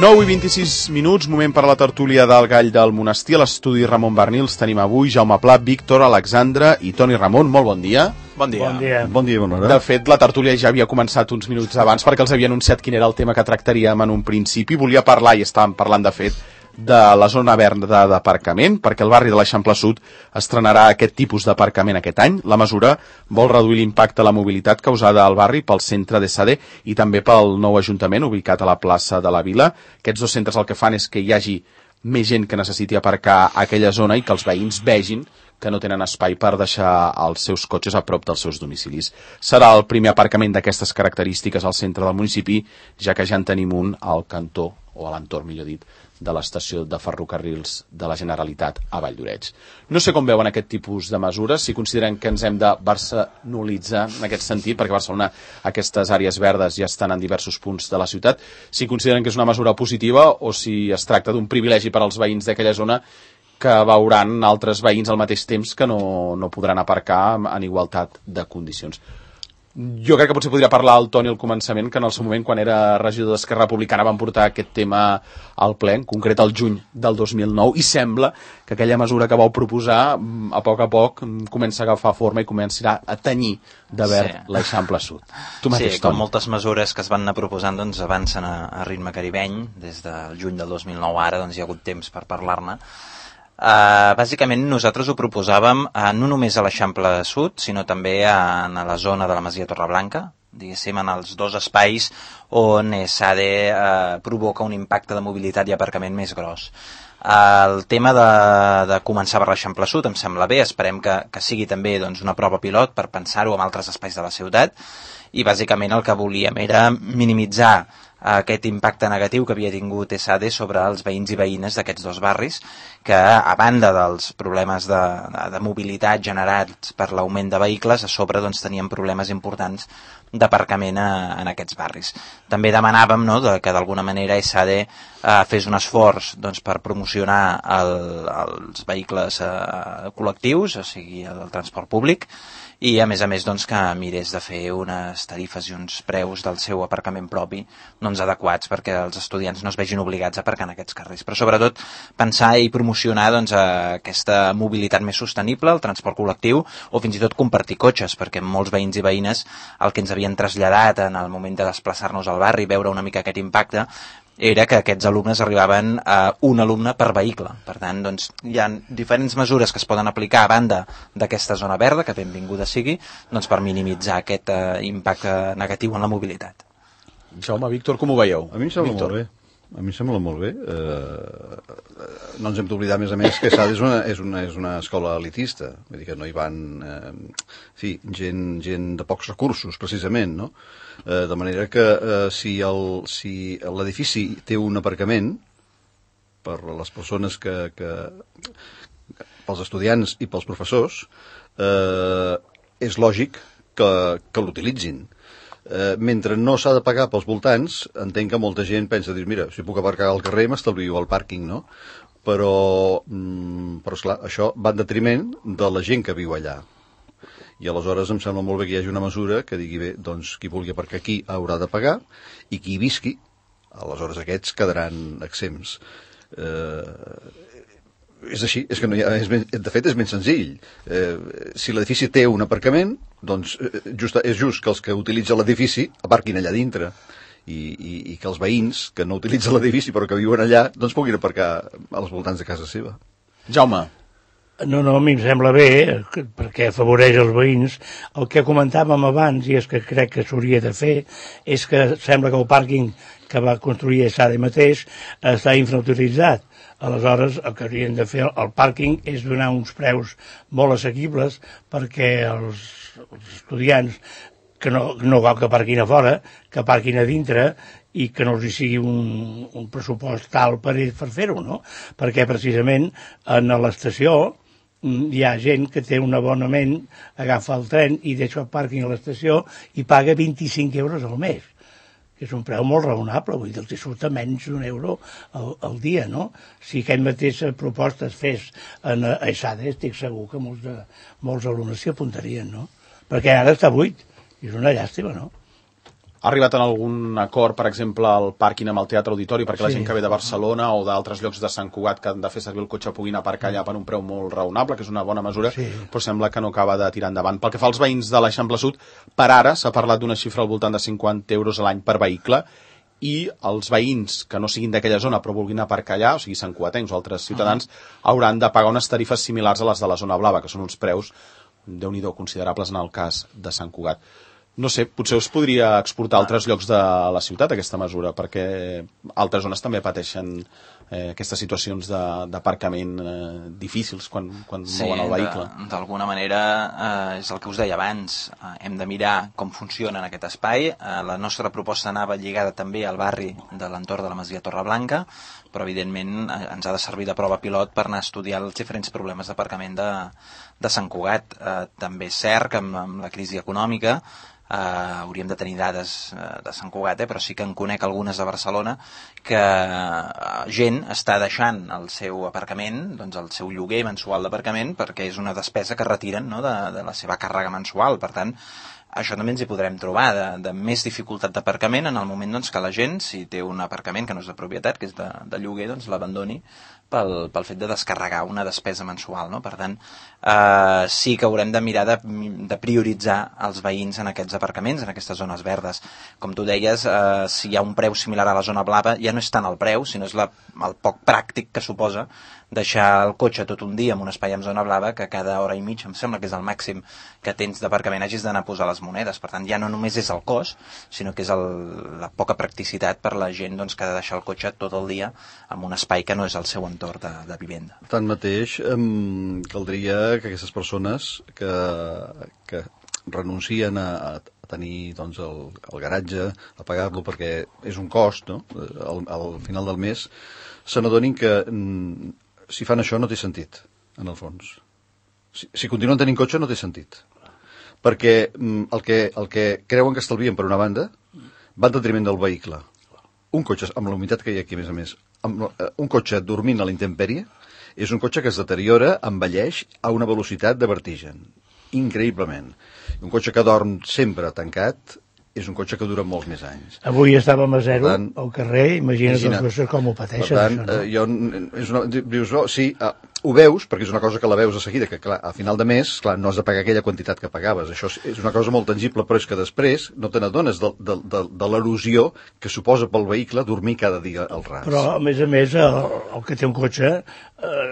9:26, moment per la tertúlia del Gall del Monestir. A l'estudi Ramon Barnils tenim avui Jaume Pla, Víctor, Alexandre i Toni Ramon. Molt bon dia. Bon dia. Bon dia. Bon dia, bona hora. De fet, la tertúlia ja havia començat uns minuts abans perquè els havia anunciat quin era el tema que tractaríem en un principi. Volia parlar, i estàvem parlant de fet, de la zona verda d'aparcament, perquè el barri de l'Eixample Sud estrenarà aquest tipus d'aparcament aquest any. La mesura vol reduir l'impacte a la mobilitat causada al barri pel centre de Sade i també pel nou ajuntament ubicat a la plaça de la Vila. Aquests dos centres el que fan és que hi hagi més gent que necessiti aparcar a aquella zona i que els veïns vegin que no tenen espai per deixar els seus cotxes a prop dels seus domicilis. Serà el primer aparcament d'aquestes característiques al centre del municipi, ja que ja en tenim un al cantó, o a l'entorn, millor dit, de l'estació de ferrocarrils de la Generalitat a Valldoreix. No sé com veuen aquest tipus de mesures, si consideren que ens hem de barcelonitzar en aquest sentit, perquè a Barcelona aquestes àrees verdes ja estan en diversos punts de la ciutat, si consideren que és una mesura positiva o si es tracta d'un privilegi per als veïns d'aquella zona que veuran altres veïns al mateix temps que no podran aparcar en igualtat de condicions. Jo crec que potser podria parlar el Toni al començament, que en el seu moment, quan era regidor d'Esquerra Republicana, van portar aquest tema al ple, en concret al juny del 2009, i sembla que aquella mesura que vau proposar, a poc, comença a agafar forma i començarà a tenyir de verd l'Eixample Sud. Tu mateix, com moltes mesures que es van anar proposant doncs, avancen a ritme caribeny. Des del juny del 2009 ara doncs, hi ha hagut temps per parlar-ne. Bàsicament nosaltres ho proposàvem no només a l'Eixample Sud, sinó també a la zona de la Masia Torreblanca, diguéssim en els dos espais on SADE provoca un impacte de mobilitat i aparcament més gros. El tema de començar per l'Eixample Sud em sembla bé, esperem que sigui també doncs, una prova pilot per pensar-ho en altres espais de la ciutat, i bàsicament el que volíem era minimitzar aquest impacte negatiu que havia tingut SADE sobre els veïns i veïnes d'aquests dos barris, que a banda dels problemes de mobilitat generats per l'augment de vehicles, a sobre doncs, tenien problemes importants d'aparcament en aquests barris. També demanàvem que d'alguna manera SADE fes un esforç doncs, per promocionar els vehicles col·lectius, o sigui el transport públic, i a més doncs, que mirés de fer unes tarifes i uns preus del seu aparcament propi doncs, adequats perquè els estudiants no es vegin obligats a aparcar en aquests carrers. Però sobretot pensar i promocionar doncs, aquesta mobilitat més sostenible, el transport col·lectiu o fins i tot compartir cotxes, perquè molts veïns i veïnes el que ens havien traslladat en el moment de desplaçar-nos al barri, veure una mica aquest impacte, era que aquests alumnes arribaven a un alumne per vehicle. Per tant, doncs, hi ha diferents mesures que es poden aplicar a banda d'aquesta zona verda, que benvinguda sigui, doncs, per minimitzar aquest impacte negatiu en la mobilitat. Jaume, Víctor, com ho veieu? A mi em sembla molt bé. A mi em sembla molt bé. No ens hem d'oblidar, a més, que SADE és una escola elitista. Vull dir que no hi van gent de pocs recursos, precisament, no? De manera que si l'edifici té un aparcament per a les persones pels estudiants i pels professors, és lògic que l'utilitzin. Mentre no s'ha de pagar pels voltants, entenc que molta gent pensa, mira, si puc aparcar al carrer m'estalvio el pàrquing, no? Però esclar, això va en detriment de la gent que viu allà. I aleshores em sembla molt bé que hi hagi una mesura que digui, bé, doncs qui vulgui aparcar aquí haurà de pagar, i qui hi visqui, aleshores aquests quedaran exempts. És així, és que no hi ha, de fet és ben senzill. Si l'edifici té un aparcament, doncs és just que els que utilitzen l'edifici aparquin allà dintre i que els veïns que no utilitzen l'edifici però que viuen allà doncs puguin aparcar als voltants de casa seva. Jaume. No, a mi em sembla bé, perquè afavoreix els veïns. El que comentàvem abans, i és que crec que s'hauria de fer, és que sembla que el pàrquing que va construir SADE mateix està infrautilitzat. Aleshores, el que haurien de fer al pàrquing és donar uns preus molt assequibles perquè els estudiants que no cal que aparquin a fora, que aparquin a dintre i que no els hi sigui un pressupost tal per fer-ho, no? Perquè precisament en l'estació hi ha gent que té un abonament, agafa el tren i deixa el pàrquing a l'estació i paga 25 euros al mes, que és un preu molt raonable, vull dir, els surt a menys d'un euro al dia, no? Si aquest mateix proposta es fes en SADE, estic segur que molts alumnes s'hi apuntarien, no? Perquè ara està buit, i és una llàstima, no? Ha arribat en algun acord, per exemple, al pàrquing amb el Teatre Auditori, perquè la gent que ve de Barcelona o d'altres llocs de Sant Cugat que han de fer servir el cotxe puguin aparcar allà per un preu molt raonable, que és una bona mesura, però sembla que no acaba de tirar endavant. Pel que fa als veïns de l'Eixample Sud, per ara s'ha parlat d'una xifra al voltant de 50 euros a l'any per vehicle, i els veïns que no siguin d'aquella zona però vulguin aparcar allà, o sigui santcugatencs o altres ciutadans, hauran de pagar unes tarifes similars a les de la zona blava, que són uns preus, déu-n'hi-do, considerables en el cas de Sant Cugat. No sé, potser us podria exportar a altres llocs de la ciutat aquesta mesura, perquè altres zones també pateixen aquestes situacions d'aparcament difícils quan mouen el vehicle. Sí, d'alguna manera és el que us deia abans, hem de mirar com funciona en aquest espai. La nostra proposta anava lligada també al barri de l'entorn de la Masia Torreblanca, però evidentment ens ha de servir de prova pilot per anar a estudiar els diferents problemes d'aparcament de Sant Cugat. També és cert que amb la crisi econòmica hauríem de tenir dades de Sant Cugat, però sí que en conec algunes de Barcelona que gent està deixant el seu aparcament, doncs el seu lloguer mensual d'aparcament, perquè és una despesa que retiren, no, de la seva càrrega mensual. Per tant, això també ens hi podrem trobar, de més dificultat d'aparcament en el moment doncs, que la gent, si té un aparcament que no és de propietat, que és de lloguer, doncs l'abandoni pel fet de descarregar una despesa mensual, no? Per tant, sí que haurem de mirar de prioritzar els veïns en aquests aparcaments, en aquestes zones verdes. Com tu deies, si hi ha un preu similar a la zona blava, ja no és tant el preu, sinó és el poc pràctic que suposa deixar el cotxe tot un dia en un espai amb zona blava, que cada hora i mitja, em sembla que és el màxim que tens d'aparcament, hagis d'anar a posar les monedes. Per tant, ja no només és el cost, sinó que és la poca practicitat per la gent doncs, que ha de deixar el cotxe tot el dia en un espai que no és el seu entorn de vivenda. Tanmateix, caldria que aquestes persones que renuncien a tenir doncs, el garatge, a pagar-lo perquè és un cost, no? Al final del mes, se n'adonin que si fan això no té sentit, en el fons. Si continuen tenint cotxe no té sentit. Perquè el que creuen que estalvien per una banda va en detriment del vehicle. Un cotxe, amb la humitat que hi ha aquí, a més, un cotxe dormint a la intempèrie és un cotxe que es deteriora, envelleix a una velocitat de vertigen, increïblement. Un cotxe que dorm sempre tancat és un cotxe que dura molts més anys. Avui estàvem a zero al carrer, imagina't els cotxes com ho pateixen. Per tant, dius, no, sí, ho veus, perquè és una cosa que la veus de seguida, que clar, a final de mes, clar, no has de pagar aquella quantitat que pagaves. Això és una cosa molt tangible, però és que després no te n'adones de l'erosió que suposa pel vehicle dormir cada dia al ras. Però, a més, el que té un cotxe,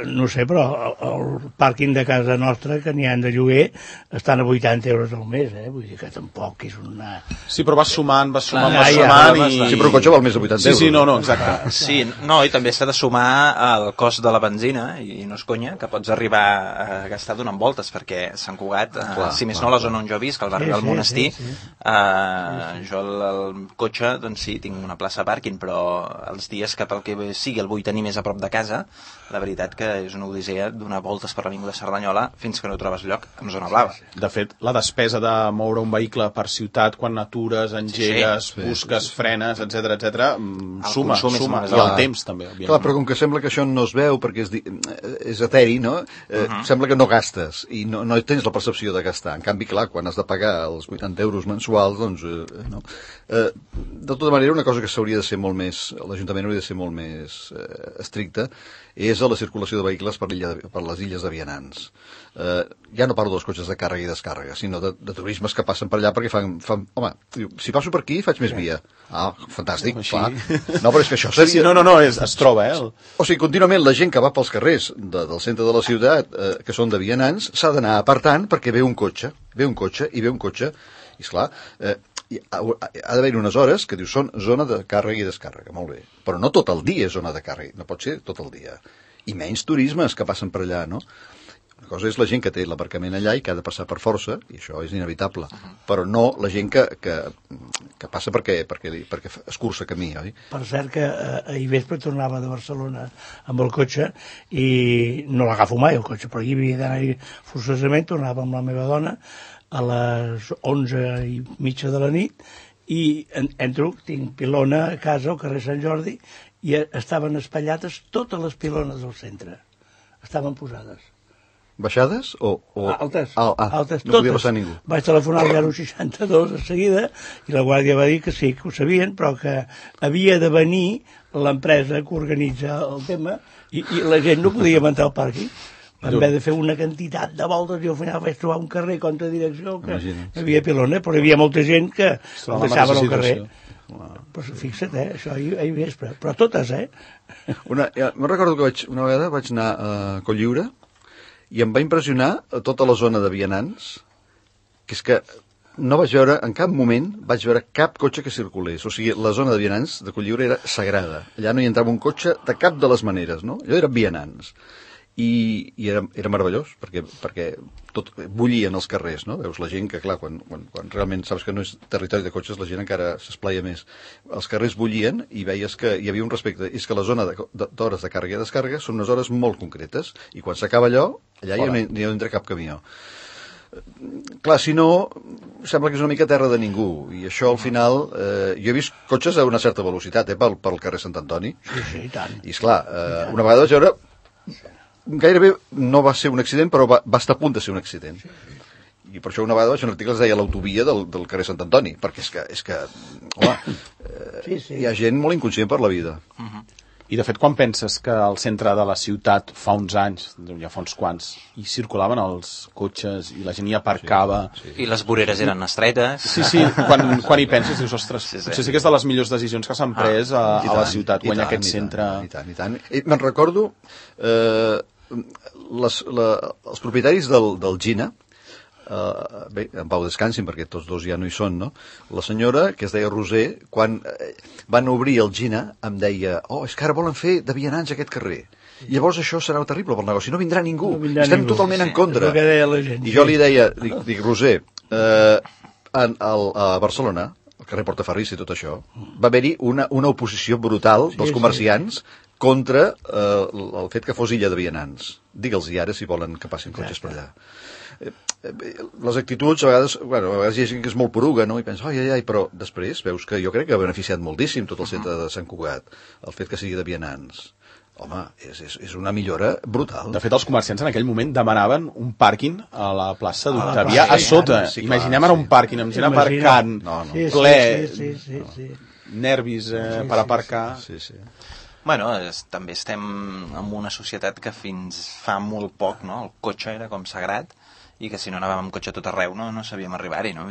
no sé, però el pàrquing de casa nostra, que n'hi ha de lloguer, estan a 80 euros al mes, vull dir que tampoc és una... Sí, però vas sumant i... Sí, però un cotxe val més de 80 euros. Sí, no, exacte. Sí, no, i també s'ha de sumar el cost de la benzina, i no és conya, que pots arribar a gastar donant voltes, perquè Sant Cugat, si més no la zona on jo visc, al barri del Monestir, jo el cotxe, doncs sí, tinc una plaça de pàrquing, però els dies que pel que sigui el vull tenir més a prop de casa, la veritat que és una odissea donar voltes per l'avinguda Cerdanyola fins que no trobes lloc en zona blava. De fet, la despesa de moure un vehicle per ciutat, quan atures, engegues, busques, frenes, etc, suma, i el temps també. Clar, però com que sembla que això no es veu perquè és eteri, no? Sembla que no gastes i no tens la percepció de gastar. En canvi, clar, quan has de pagar els 80 euros mensuals, doncs no. De tota manera, una cosa que s'hauria de ser molt més, l'Ajuntament hauria de ser molt més estricta, és a la circulació de vehicles per les illes de vianants. Ja no parlo dels cotxes de càrrega i descàrrega, sinó de turismes que passen per allà perquè fan home, si passo per aquí faig més via. Fantàstic, clar. No, però és que això seria... No, es troba, O sigui, contínuament la gent que va pels carrers del centre de la ciutat, que són de vianants, s'ha d'anar apartant perquè ve un cotxe, i esclar, ha d'haver unes hores que dius són zona de càrrega i descàrrega, molt bé, però no tot el dia és zona de càrrega, no pot ser tot el dia, i menys turismes que passen per allà, no? Una cosa és la gent que té l'aparcament allà i que ha de passar per força, i això és inevitable, però no la gent que passa perquè escurça camí, oi? Per cert que ahir vespre tornava de Barcelona amb el cotxe i no l'agafo mai el cotxe, però hi havia d'anar-hi forçosament, tornava amb la meva dona a les 11:30 de la nit i entro, tinc pilona a casa al carrer Sant Jordi i estaven espatllades totes les pilones del centre, estaven posades. Baixades o... Altes, altes, no podia totes. passar ningú. Vaig telefonar al 062 de seguida i la guàrdia va dir que sí, que ho sabien, però que havia de venir l'empresa que organitza el tema i la gent no podia entrar al pàrquing. Vam haver de fer una quantitat de voltes i al final vaig trobar un carrer contra direcció que hi havia pilona, però hi havia molta gent que el deixaven al carrer. Però fixa't, això ahir vespre. Però totes, me'n recordo que una vegada vaig anar a Cotlliure i em va impressionar tota la zona de vianants, que és que no vaig veure, en cap moment vaig veure cap cotxe que circulés. O sigui, la zona de vianants de Cotlliure era sagrada. Allà no hi entrava un cotxe de cap de les maneres, no? Allò eren vianants. I era meravellós, perquè tot bullien els carrers, no? Veus la gent que, clar, quan realment saps que no és territori de cotxes, la gent encara s'esplaia més. Els carrers bullien i veies que hi havia un respecte. És que la zona d'hores de càrrega i descàrrega són unes hores molt concretes, i quan s'acaba allò, allà ja no entra cap camió. Clar, si no, sembla que és una mica terra de ningú, i això al final... jo he vist cotxes a una certa velocitat, pel carrer Sant Antoni. Sí, tant. I esclar, una vegada vaig veure... Gairebé no va ser un accident, però va estar a punt de ser un accident. I per això una vegada vaig fer un article que es deia l'autovia del carrer Sant Antoni, perquè és que home, hi ha gent molt inconscient per la vida. I de fet, quan penses que al centre de la ciutat fa uns anys, ja fa uns quants, hi circulaven els cotxes i la gent hi aparcava... I les voreres eren estretes. Sí, quan hi penses dius, ostres, potser sí que és de les millors decisions que s'han pres a la ciutat, guanyar aquest centre... I tant. Me'n recordo, els propietaris del Gina, bé, en pau descansin perquè tots dos ja no hi són, no? La senyora, que es deia Roser, quan van obrir el Gina em deia, és que ara volen fer de vianants aquest carrer, i llavors això serà terrible pel negoci, no vindrà ningú, estem totalment en contra. I jo li deia, dic Roser, a Barcelona, al carrer Portaferrís i tot això, va haver-hi una oposició brutal dels comerciants contra el fet que fos illa de vianants. Digue'ls-hi ara si volen que passin cotxes per allà. Les actituds, a vegades hi ha gent que és molt poruga, no? I pensa, però després veus que jo crec que ha beneficiat moltíssim tot el centre de Sant Cugat, el fet que sigui de vianants. Home, és una millora brutal. De fet, els comerciants en aquell moment demanaven un pàrquing a la plaça d'Octavià a sota. Imaginem ara un pàrquing amb gent aparcant, ple, nervis per aparcar... Bueno, també estem en una societat que fins fa molt poc, no? El cotxe era com sagrat, i que si no anàvem amb cotxe tot arreu no sabíem arribar-hi, no?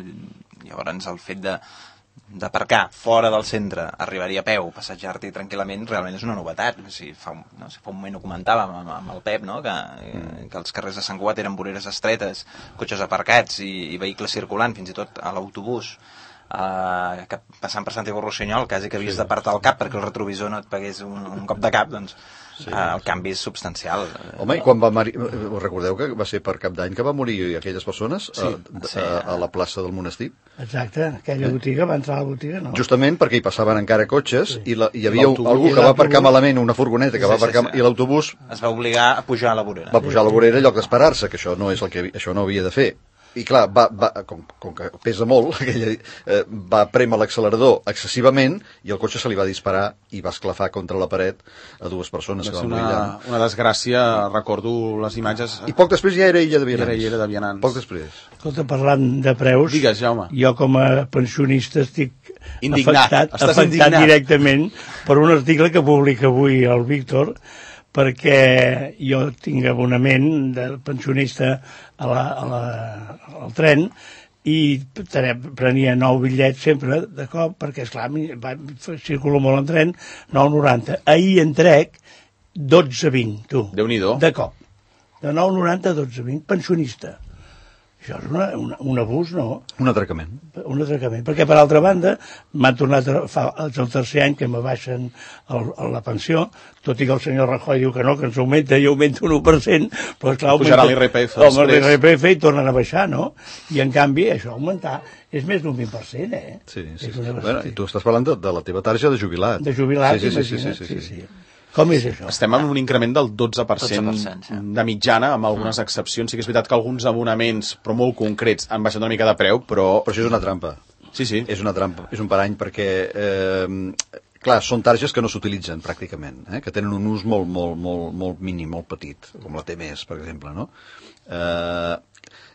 Llavors el fet d'aparcar fora del centre, arribar-hi a peu, passejar-t'hi tranquil·lament, realment és una novetat. O sigui, fa un moment ho comentàvem amb el Pep, no? Que els carrers de Sant Cugat eren voreres estretes, cotxes aparcats i vehicles circulant, fins i tot a l'autobús, passant per Santiago Rossinyol, quasi que havies d'apartar el cap perquè el retrovisor no et pegués un cop de cap, doncs el canvi és substancial. Home, i quan va morir, recordeu que va ser per Cap d'Any que va morir aquelles persones a la plaça del Monestir? Exacte, aquella botiga, va entrar a la botiga, no? Justament perquè hi passaven encara cotxes i hi havia algú que va aparcar malament, una furgoneta que va aparcar, i l'autobús es va obligar a pujar a la vorera. Va pujar a la vorera en lloc d'esperar-se, que això no és el que això no havia de fer. I clar, com que pesa molt, va prémer l'accelerador excessivament i el cotxe se li va disparar i va esclafar contra la paret a dues persones que van morir allà. Una desgràcia, recordo les imatges... I poc després ja era illa de vianants. Era illa de vianants. Poc després. Escolta, parlant de preus... Digues, Jaume. Jo com a pensionista estic indignat. Afectat directament per un article que publica avui el Víctor, perquè jo tinc abonament de pensionista al tren i prenia 9 bitllets sempre de cop, perquè esclar, circulo molt en tren, 9,90. Ahir en trec 12,20, tu. Déu-n'hi-do. De cop. De 9,90 a 12,20, pensionista. Això és un abús, no? Un atracament. Un atracament, perquè per altra banda m'han tornat és el tercer any que m'abaixen la pensió, tot i que el senyor Rajoy diu que no, que ens augmenta i augmenta un 1%, però esclar, pujarà l'IRPF després. L'IRPF i tornen a baixar, no? I en canvi això augmentar és més d'un 20%, Sí. Bueno, i tu estàs parlant de la teva tarja de jubilat. De jubilat, imagina't, sí. Com és això? Estem en un increment del 12% de mitjana, amb algunes excepcions. Sí que és veritat que alguns abonaments, però molt concrets, han baixat una mica de preu, però... Però això és una trampa. Sí. És una trampa, és un parany, perquè... clar, són targes que no s'utilitzen pràcticament, que tenen un ús molt mínim, molt petit, com la T-Més, per exemple, no?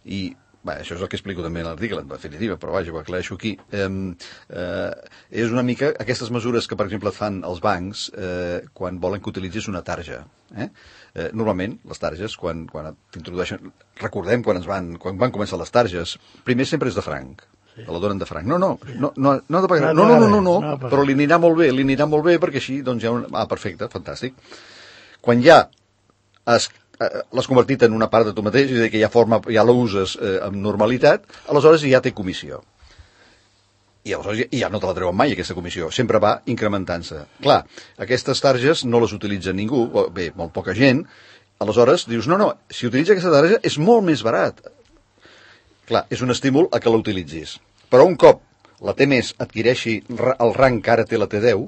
I això és el que explico també a l'article, en definitiva, però vaja, ho aclareixo aquí. És una mica aquestes mesures que, per exemple, et fan els bancs quan volen que utilitzis una tarja. Normalment, les targes, quan t'introdueixen... Recordem quan van començar les targes, primer sempre és de franc. Te la donen de franc. No ha de pagar. No, però li anirà molt bé perquè així, doncs, hi ha un... perfecte, fantàstic. Quan ja l'has convertit en una part de tu mateix, és a dir, que ja l'uses amb normalitat, aleshores ja té comissió. I aleshores ja no te la treuen mai, aquesta comissió. Sempre va incrementant-se. Clar, aquestes targes no les utilitza ningú, bé, molt poca gent, aleshores dius, no, si utilitza aquesta tarja és molt més barat. Clar, és un estímul a que la utilitzis. Però un cop la T-Més adquireixi el rang que ara té la T10,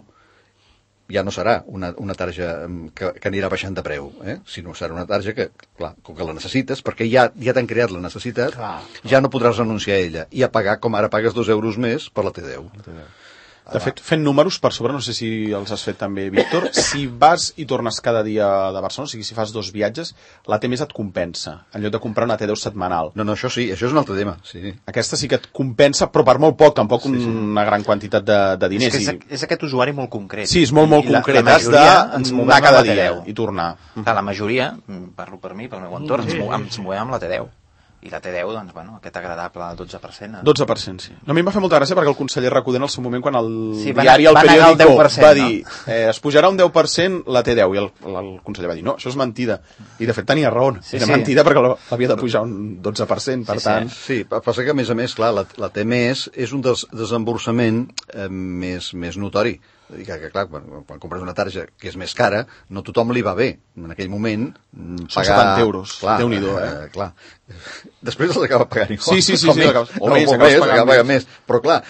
ja no serà una tarja que anirà baixant de preu, sinó serà una tarja que, clar, com que la necessites, perquè ja t'han creat la necessitat, ja no podràs renunciar a ella i a pagar com ara pagues 2 euros més per la T10. De fet, fent números per sobre, no sé si els has fet també, Víctor, si vas i tornes cada dia de Barcelona, o sigui, si fas 2 viatges, la T-Més et compensa, en lloc de comprar una T10 setmanal. No, això sí, això és un altre tema, sí. Aquesta sí que et compensa, però per molt poc, tampoc una gran quantitat de diners. És aquest usuari molt concret. Sí, és molt concret, has d'anar cada dia i tornar. La majoria, parlo per mi, pel meu entorn, ens movem amb la T10. I la T10, doncs, bueno, aquest agradable 12%. 12%, sí. No, a mi em va fer molta gràcia perquè el conseller Recoder en el seu moment, quan el diari, el periòdico, va dir es pujarà un 10% la T10, i el conseller va dir, no, això és mentida. I de fet tenia raó, era mentida perquè l'havia de pujar un 12%, per tant... Sí, passa que a més, clar, la T-Més és un desemborsament més notori. Que clar, quan compres una tarja que és més cara, no tothom li va bé. En aquell moment, pagar... Són 70 euros, Déu-n'hi-do, clar. Després els acaba pagant igual. Sí, o més, acaba pagant més. Però clar,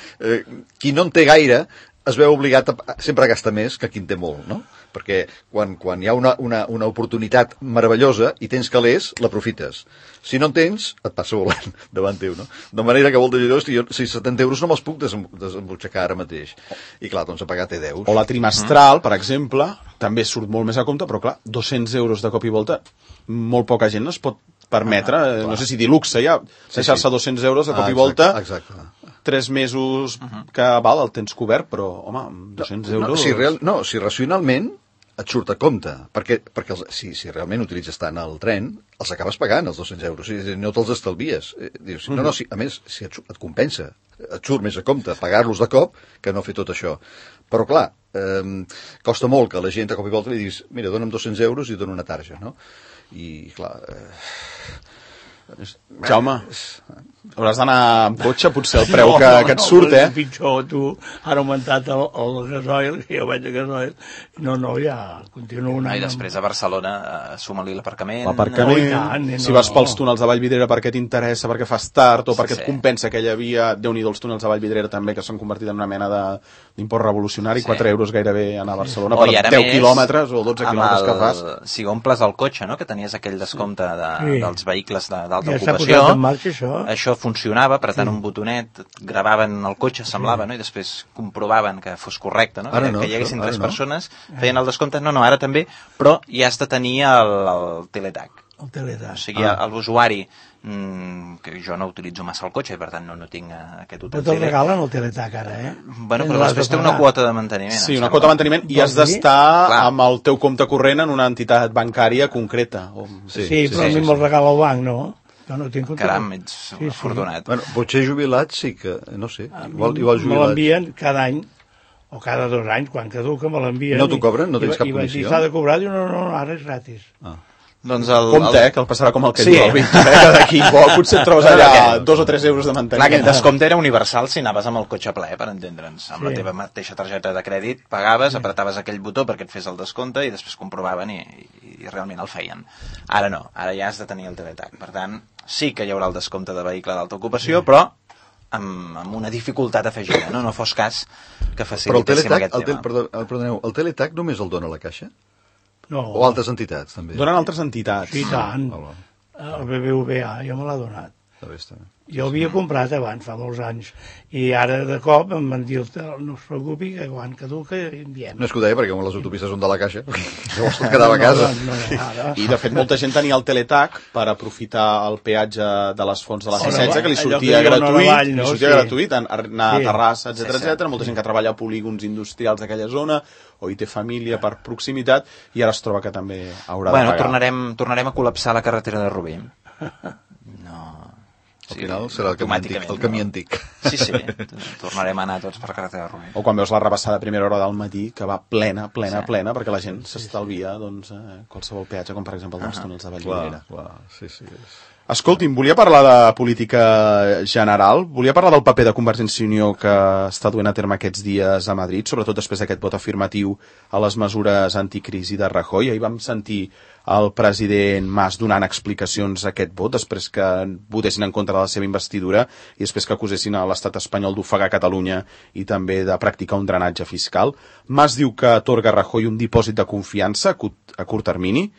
qui no en té gaire es veu obligat sempre a gastar més que qui en té molt, no? Perquè quan hi ha una oportunitat meravellosa i tens calés, l'aprofites. Si no en tens, et passa volant davant teu, no? De manera que volta dir, si 70 euros no me'ls puc desembutxacar ara mateix. I clar, doncs a pagar té 10. O la trimestral, per exemple, també surt molt més a compte, però clar, 200 euros de cop i volta, molt poca gent es pot permetre, no sé si dir luxe ja, deixar-se 200 euros de cop i volta, 3 mesos que val, el tens cobert, però, home, 200 euros... Si racionalment et surt a compte, perquè si realment utilitzes tant el tren, els acabes pagant, els 200 euros, no te'ls estalvies. Dius, a més, si et compensa, et surt més a compte pagar-los de cop que no fer tot això. Però, clar, costa molt que la gent de cop i volta li diguis, mira, dona'm 200 euros i dono una tarja, no? I, clar... Jaume, hauràs d'anar amb cotxe, potser el preu que et surt, pitjor, tu, han augmentat el gasoil, que jo vaig a gasoil, ja continuo i després a Barcelona suma-li l'aparcament. Si vas pels túnels de Vallvidrera perquè t'interessa, perquè fas tard, o perquè et compensa aquella via, Déu-n'hi-do els túnels de Vallvidrera també, que s'han convertit en una mena d'import revolucionari, 4 euros gairebé anar a Barcelona per 10 quilòmetres o 12 quilòmetres que fas. Si omples el cotxe, que tenies aquell descompte dels vehicles d'alta ocupació, això funcionava, per tant un botonet, gravaven el cotxe, semblava, i després comprovaven que fos correcte, que hi haguessin 3 persones, feien el descompte, ara també, però ja has de tenir el teletag. El teletag. O sigui, l'usuari, que jo no utilitzo massa el cotxe, i per tant no tinc aquest utensili. Però te'l regalen el teletag ara, Bueno, però després té una quota de manteniment. Sí, una quota de manteniment, i has d'estar amb el teu compte corrent en una entitat bancària concreta. Sí, però a mi me'l regala el banc, no? Jo no tinc compte. Caram, ets afortunat. Bueno, potser jubilats sí que, no sé, igual jubilats. Me l'envien cada any, o cada 2 anys, quan caduca me l'envien. No t'ho cobren? No tens cap comissió? I vaig dir, s'ha de cobrar, diu, no, ara és gratis. Doncs compte, que el passarà com el que diu el Víctor, que d'aquí potser et trobes allà 2 o 3 euros de manteniment. Clar, aquest descompte era universal si anaves amb el cotxe ple, per entendre'ns. Amb la teva mateixa targeta de crèdit pagaves, apretaves aquell botó perquè et fes el descompte i després comprovaven i realment el feien. Ara no, ara ja has de tenir el teletag. Per tant, sí que hi haurà el descompte de vehicle d'alta ocupació, però amb una dificultat afegida, no fos cas que facilitéssim aquest tema. Perdoneu, el teletag només el dona la Caixa? No. O altres entitats, també? Donen altres entitats. Sí, tant. El BBVA ja me l'ha donat. Jo havia comprat abans, fa molts anys, i ara de cop em van dir no es preocupi, que quan caduca enviem. No és que ho deia perquè les autopistes són de la Caixa, llavors tot quedava a casa. I de fet molta gent tenia el teletac per aprofitar el peatge de les fonts de la C16, que li sortia gratuït, anar a Terrassa, etc. Molta gent que treballa a polígons industrials d'aquella zona, o hi té família per proximitat, i ara es troba que també haurà de pagar. Tornarem a col·lapsar la carretera de Rubí. Al final serà el camí antic. Sí, tornarem a anar tots per carretera de Rubí. O quan veus la rebassada a primera hora del matí, que va plena, perquè la gent s'estalvia qualsevol peatge, com per exemple els túnels de Vallvidrera. Sí. Escolti'm, volia parlar de política general, volia parlar del paper de Convergència i Unió que està duent a terme aquests dies a Madrid, sobretot després d'aquest vot afirmatiu a les mesures anticrisi de Rajoy. Ahir vam sentir el president Mas donant explicacions a aquest vot, després que votessin en contra de la seva investidura i després que acusessin a l'estat espanyol d'ofegar Catalunya i també de practicar un drenatge fiscal. Mas diu que atorga a Rajoy un dipòsit de confiança a curt termini,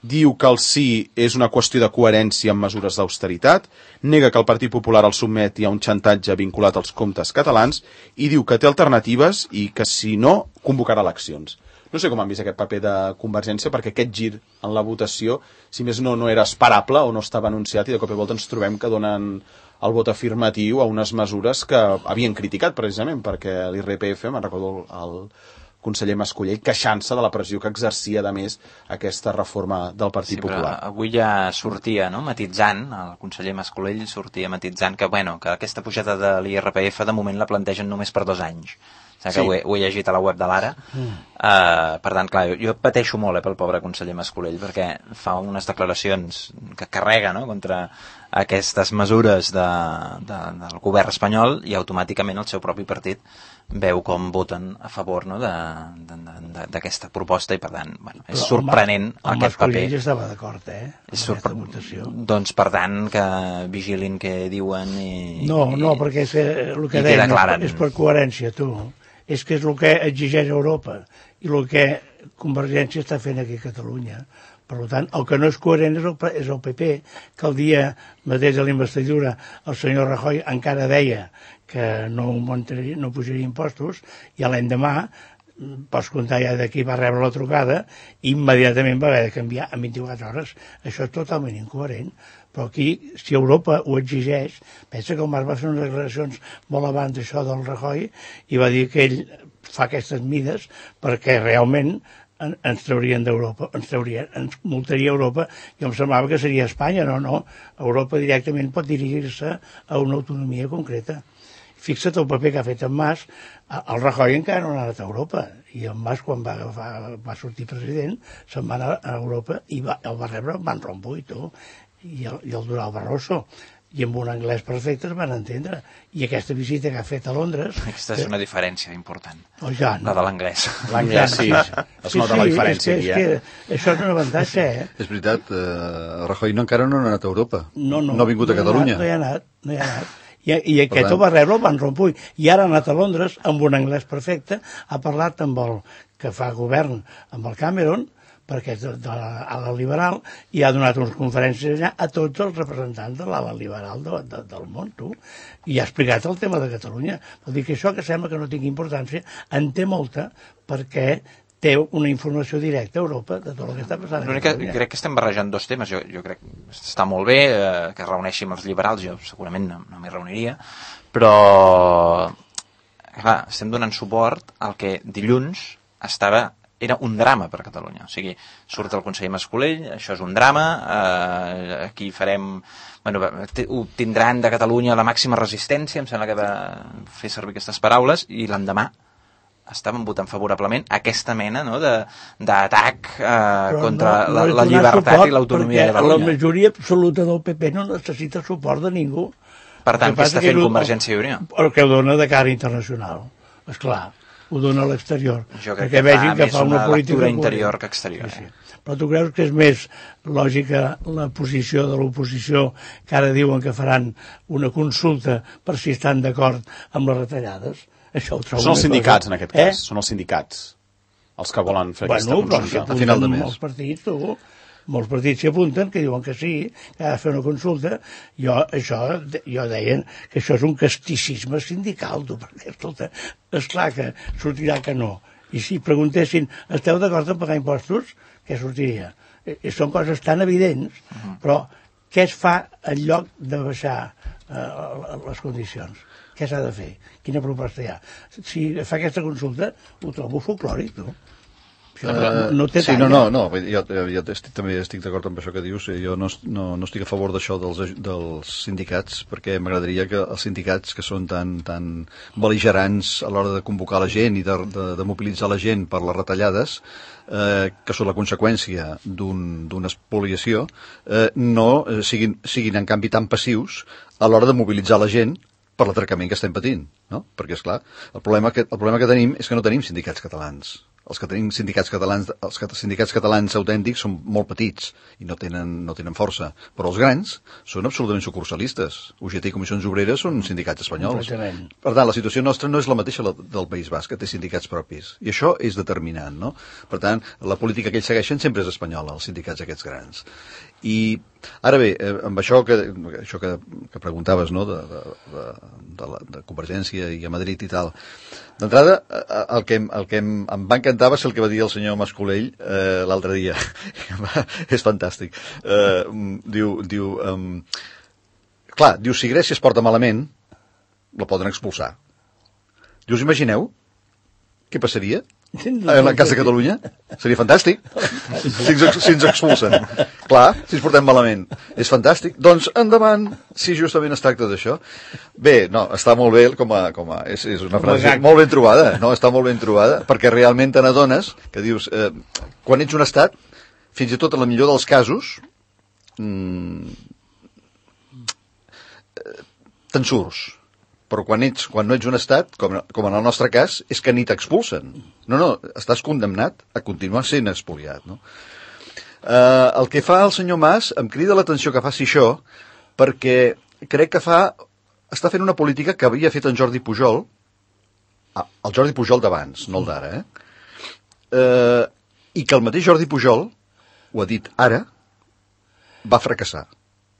diu que el sí és una qüestió de coherència amb mesures d'austeritat, nega que el Partit Popular el sotmeti a un xantatge vinculat als comptes catalans i diu que té alternatives i que, si no, convocarà eleccions. No sé com han vist aquest paper de Convergència, perquè aquest gir en la votació, si més no era esperable o no estava anunciat, i de cop i volta ens trobem que donen el vot afirmatiu a unes mesures que havien criticat, precisament, perquè l'IRPF, me'n recordo el conseller Mascolell, queixant-se de la pressió que exercia, a més, aquesta reforma del Partit Popular. Avui ja sortia, matitzant, el conseller Mascolell sortia matitzant que aquesta pujada de l'IRPF de moment la plantegen només per 2 anys. Que ho he llegit a la web de l'Ara. Per tant, clar, jo pateixo molt pel pobre conseller Mascolell, perquè fa unes declaracions que carrega contra aquestes mesures del govern espanyol i automàticament el seu propi partit veu com voten a favor d'aquesta proposta i, per tant, és sorprenent aquest paper. El Mascolell estava d'acord, aquesta votació. Doncs, per tant, que vigilin què diuen i... No, perquè el que deien és per coherència, tu. És que és el que exigeix Europa i el que Convergència està fent aquí a Catalunya. Per tant, el que no és coherent és el PP, que el dia mateix de la investidura el senyor Rajoy encara deia que no pujaria impostos, i l'endemà, pots comptar ja d'aquí va rebre la trucada, i immediatament va haver de canviar en 24 hores. Això és totalment incoherent. Però aquí, si Europa ho exigeix, pensa que el Mas va fer unes declaracions molt abans d'això del Rajoy i va dir que ell fa aquestes mides perquè realment ens traurien d'Europa, ens multaria Europa, i em semblava que seria Espanya. No, Europa directament pot dirigir-se a una autonomia concreta. Fixa't el paper que ha fet en Mas. El Rajoy encara no ha anat a Europa, i el Mas, quan va sortir president, se'n va anar a Europa i el va rebre Van Rompuy, i el Durão Barroso, i amb un anglès perfecte es van entendre. I aquesta visita que ha fet a Londres... Aquesta és una diferència important, la de l'anglès. L'anglès, sí. Es nota la diferència. Això és un avantatge, És veritat, Rajoy encara no ha anat a Europa. No ha vingut a Catalunya. No hi ha anat. I aquest ho va rebre el Van Rompuy. I ara ha anat a Londres amb un anglès perfecte, ha parlat amb el que fa govern, amb el Cameron, perquè és de l'ala liberal, i ha donat unes conferències allà a tots els representants de l'ala liberal del món, i ha explicat el tema de Catalunya. Vol dir que això, que sembla que no tingui importància, en té molta, perquè té una informació directa a Europa de tot el que està passant. Crec que estem barrejant 2 temes. Jo crec que està molt bé que es reuneixi amb els liberals, jo segurament no m'hi reuniria, però clar, estem donant suport al que dilluns era un drama per a Catalunya. O sigui, surt el conseller Mascolell, això és un drama, aquí farem... obtindran de Catalunya la màxima resistència, em sembla que va fer servir aquestes paraules, i l'endemà estaven votant favorablement aquesta mena d'atac contra la llibertat i l'autonomia de Catalunya. La majoria absoluta del PP no necessita suport de ningú. Per tant, què està fent Convergència i Unió? El que ho dona de cara internacional, esclar. Ho dona a l'exterior. Jo crec que fa més una lectura interior que exterior. Sí. Però tu creus que és més lògica la posició de l'oposició, que ara diuen que faran una consulta per si estan d'acord amb les retallades? Això ho trobo. Són els sindicats, en aquest cas. Són els sindicats els que volen fer aquesta consulta. A final de mes. Els partits, molts partits s'hi apunten, que diuen que sí, que ha de fer una consulta. Jo deien que això és un casticisme sindical, perquè, escolta, esclar que sortirà que no. I si preguntessin, esteu d'acord en pagar impostos? Què sortiria? Són coses tan evidents, però què es fa en lloc de baixar les condicions? Què s'ha de fer? Quina proposta hi ha? Si fa aquesta consulta, ho trobo folclòric, no? No té sí, talla. no, jo també estic d'acord amb això que dius. Jo no estic a favor d'això dels sindicats, perquè m'agradaria que els sindicats, que són tan bel·ligerants a l'hora de convocar la gent i de mobilitzar la gent per les retallades, que són la conseqüència d'una espoliació, no siguin en canvi tan passius a l'hora de mobilitzar la gent per l'atracament que estem patint, no? Perquè, esclar, el problema que tenim és que no tenim sindicats catalans. Els que tenim sindicats catalans autèntics són molt petits i no tenen força, però els grans són absolutament sucursalistes. UGT i Comissions Obreres són sindicats espanyols. Per tant, la situació nostra no és la mateixa del País Basc, que té sindicats propis, i això és determinant, no? Per tant, la política que ells segueixen sempre és espanyola, els sindicats aquests grans. I ara bé, amb això que preguntaves, no?, de Convergència i a Madrid i tal, d'entrada, el que em va encantar va ser el que va dir el senyor Mascolell l'altre dia. És fantàstic. Diu, si Grècia es porta malament, la poden expulsar. Diu, us imagineu què passaria en el cas de Catalunya? Seria fantàstic si ens expulsen. Clar, si ens portem malament. És fantàstic. Doncs endavant, si justament es tracta d'això. Bé, no, està molt bé és una frase molt ben trobada. No, està molt ben trobada, perquè realment te n'adones que dius, quan ets un estat, fins i tot en el millor dels casos, te'n surts. Però quan no ets un estat, com en el nostre cas, és que ni t'expulsen. No, estàs condemnat a continuar sent expoliat, no? El que fa el senyor Mas em crida l'atenció que faci això, perquè crec que està fent una política que havia fet en Jordi Pujol, el Jordi Pujol d'abans, no el d'ara, i que el mateix Jordi Pujol, ho ha dit ara, va fracassar.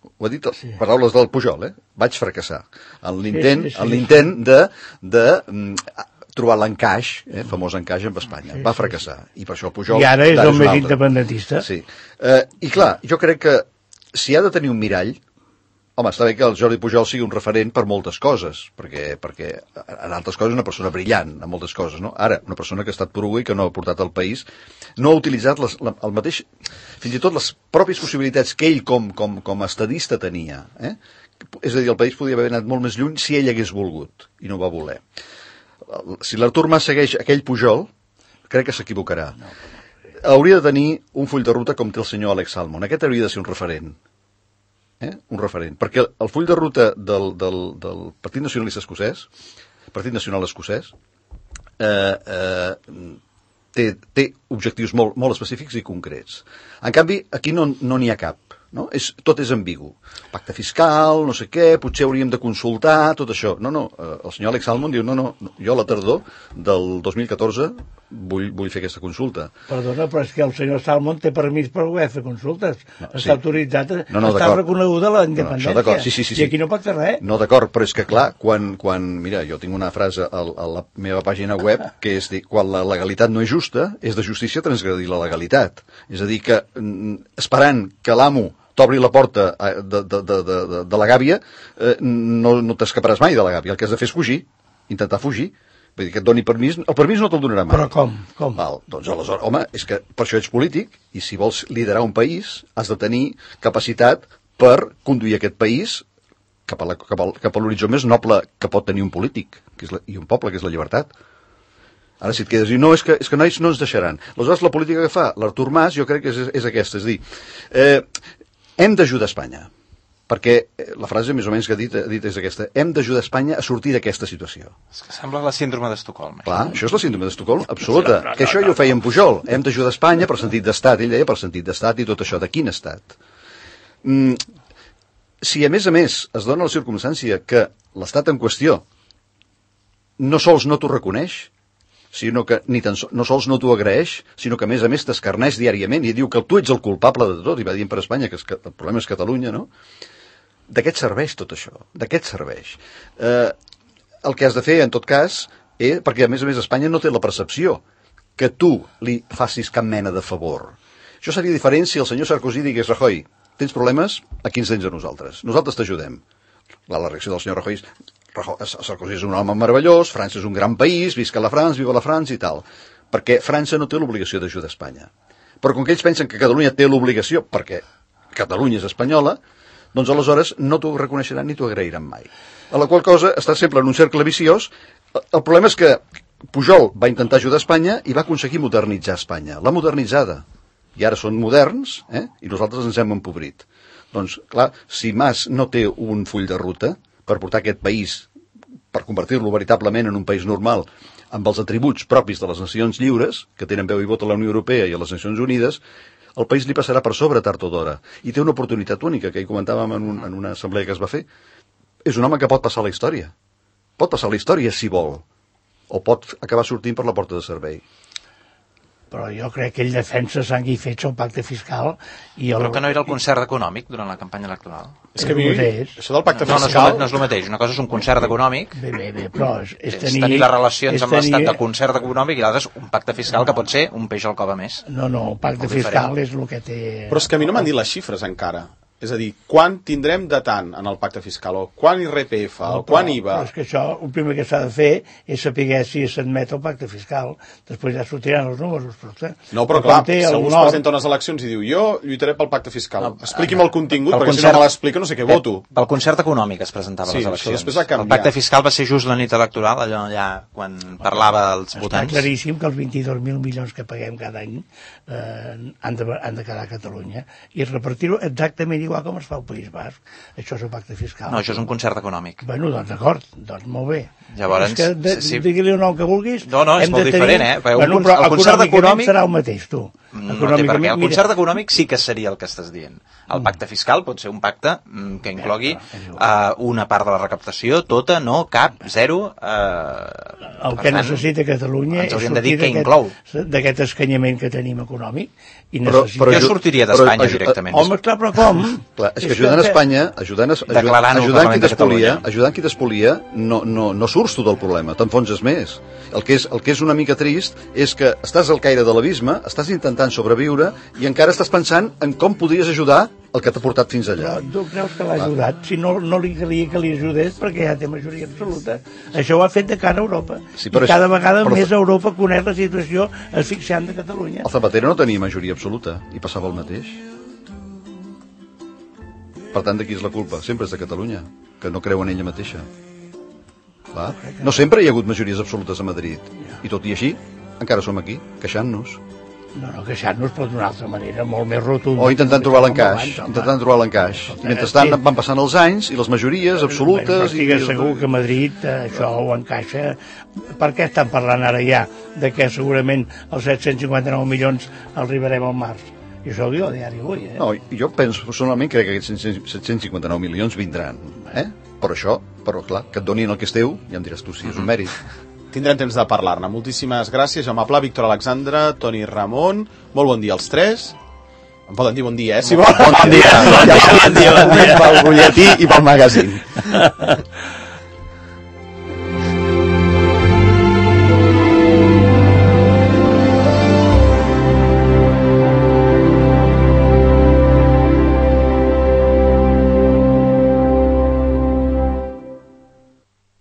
Ho ha dit paraules del Pujol, vaig fracassar en l'intent de trobar l'encaix, famós encaix amb Espanya. Va fracassar. I per això el Pujol... I ara és el més independentista. Sí. I clar, jo crec que si ha de tenir un mirall, home, està bé que el Jordi Pujol sigui un referent per moltes coses, perquè en altres coses és una persona brillant, en moltes coses, no? Ara, una persona que ha estat poruga i que no ha portat al país, no ha utilitzat el mateix, fins i tot les pròpies possibilitats que ell com a estadista tenia. És a dir, el país podia haver anat molt més lluny si ell hagués volgut, i no va voler. Si l'Artur Mas segueix aquell Pujol, crec que s'equivocarà. Hauria de tenir un full de ruta com té el senyor Alex Salmond. Aquest hauria de ser un referent. Un referent, perquè el full de ruta del Partit Nacionalista Escocès, Partit Nacional Escocès, té objectius molt específics i concrets. En canvi, aquí no n'hi ha cap. No? Tot és ambigu. Pacte fiscal, no sé què, potser hauríem de consultar, tot això. No, el senyor Alex Salmond diu, no, jo a la tardor del 2014 vull fer aquesta consulta. Perdona, però és que el senyor Salmond té permís per poder fer consultes. Està autoritzat, està reconeguda la independència. Sí. I aquí no pot fer res. No, d'acord, però és que clar, mira, jo tinc una frase a la meva pàgina web que és dir, quan la legalitat no és justa, és de justícia transgredir la legalitat. És a dir, que esperant que l'amo t'obri la porta de la gàbia, no t'escaparàs mai de la gàbia. El que has de fer és fugir, intentar fugir. Vull dir que et doni permís, el permís no te'l donarà mai. Però com? Val, doncs aleshores, home, és que per això ets polític, i si vols liderar un país, has de tenir capacitat per conduir aquest país cap a l'horitzó més noble que pot tenir un polític, i un poble, que és la llibertat. Ara si et quedes i no, és que no ens deixaran. Aleshores, la política que fa l'Artur Mas, jo crec que és aquesta, és dir, hem d'ajudar Espanya, perquè la frase més o menys que ha dit és aquesta: hem d'ajudar Espanya a sortir d'aquesta situació. És que sembla la síndrome d'Estocolm. Clar, això és la síndrome d'Estocolm absoluta. Que això ja ho feia en Pujol. Hem d'ajudar Espanya per sentit d'estat. Ell deia per sentit d'estat i tot això. De quin estat? Si a més es dona la circumstància que l'estat en qüestió no sols no t'ho reconeix, sinó que no sols no t'ho agraeix, sinó que a més t'escarneix diàriament i diu que tu ets el culpable de tot, i va dient per Espanya que el problema és Catalunya, no? De què et serveix tot això? De què et serveix? El que has de fer, en tot cas, perquè a més Espanya no té la percepció que tu li facis cap mena de favor. Això seria diferent si el senyor Sarkozy digués: Rajoy, tens problemes? Aquí ens tens a nosaltres. Nosaltres t'ajudem. La reacció del senyor Rajoy és: Sarkozy és un home meravellós, França és un gran país, visca la France, viva la France i tal. Perquè França no té l'obligació d'ajudar Espanya. Però com que ells pensen que Catalunya té l'obligació, perquè Catalunya és espanyola, doncs aleshores no t'ho reconeixeran ni t'ho agrairan mai. A la qual cosa està sempre en un cercle viciós. El problema és que Pujol va intentar ajudar Espanya i va aconseguir modernitzar Espanya. L'ha modernitzada. I ara són moderns, i nosaltres ens hem empobrit. Doncs, clar, si Mas no té un full de ruta per portar aquest país, per convertir-lo veritablement en un país normal, amb els atributs propis de les nacions lliures, que tenen veu i vot a la Unió Europea i a les Nacions Unides, el país li passarà per sobre tard o d'hora. I té una oportunitat única, que hi comentàvem en una assemblea que es va fer. És un home que pot passar a la història. Pot passar a la història si vol. O pot acabar sortint per la porta de servei. Però jo crec que ell defensa sang i fets el pacte fiscal i Però que no era el concert econòmic durant la campanya electoral. És que això del pacte No fiscal... és el mateix. Una cosa és un concert econòmic, Bé, però és tenir les relacions amb l'Estat de concert econòmic, i l'altre és un pacte fiscal que pot ser un peix al cove més. No, el pacte fiscal és el que té... Però és que a mi no m'han dit les xifres encara. És a dir, quan tindrem de tant en el pacte fiscal, o quan IRPF, o quan IVA... Però és que això, el primer que s'ha de fer és saber si s'admet el pacte fiscal. Després ja sortiran els números. No, però clar, si algú es presenta a unes eleccions i diu: jo lluitaré pel pacte fiscal, expliqui'm el contingut, perquè si no me l'explica no sé què voto. Pel concert econòmic es presentava a les eleccions. Després ha canviat. El pacte fiscal va ser just la nit electoral, allà quan parlava als votants. Està claríssim que els 22.000 milions que paguem cada any han de quedar a Catalunya i repartir-ho exactament igual com es fa al País Basc. Això és el pacte fiscal. No, això és un concert econòmic. Bueno, doncs d'acord, doncs molt bé. Llavors, digui-li el nom que vulguis. No, és molt diferent, Bueno, però el concert econòmic serà el mateix, tu. No té per què. El concert econòmic sí que seria el que estàs dient. El pacte fiscal pot ser un pacte que inclogui una part de la recaptació, tota, no, cap, zero. El que necessita Catalunya és sortir d'aquest escanyament que tenim econòmic. Però jo sortiria d'Espanya directament. Home, clar, però com? Clar, és que ajudant Espanya, ajudant qui t'espolia, no surts tu del problema, t'enfonses més. El que és una mica trist és que estàs al caire de l'abisme, estàs intentant sobreviure i encara estàs pensant en com podries ajudar el que t'ha portat fins allà. Però tu creus que l'ha ajudat? Si no li calia que li ajudés, perquè ja té majoria absoluta. Això ho ha fet de cara a Europa. I cada vegada més Europa coneix la situació asfixiant de Catalunya. El Zapatero no tenia majoria absoluta i passava el mateix. Per tant, de qui és la culpa? Sempre és de Catalunya, que no creu en ella mateixa. Va? No sempre hi ha hagut majories absolutes a Madrid. I tot i així, encara som aquí, queixant-nos. No, queixant-nos, però d'una altra manera, molt més rotunda. O intentant trobar l'encaix. I mentrestant van passant els anys i les majories absolutes... Estic segur que Madrid això ho encaixa. Per què estan parlant ara ja de que segurament els 759 milions arribarem al març? I això ho diu el diari avui, No, jo penso, personalment, crec que aquests 759 milions vindran. Però clar, que et donin el que és teu, ja em diràs tu si és un mèrit. Tindrem temps de parlar-ne. Moltíssimes gràcies, Jaume Pla, Víctor Alexandre, Toni Ramon. Molt bon dia als tres. Em poden dir bon dia, si volen. Bon dia. Pel butlletí i pel magazín.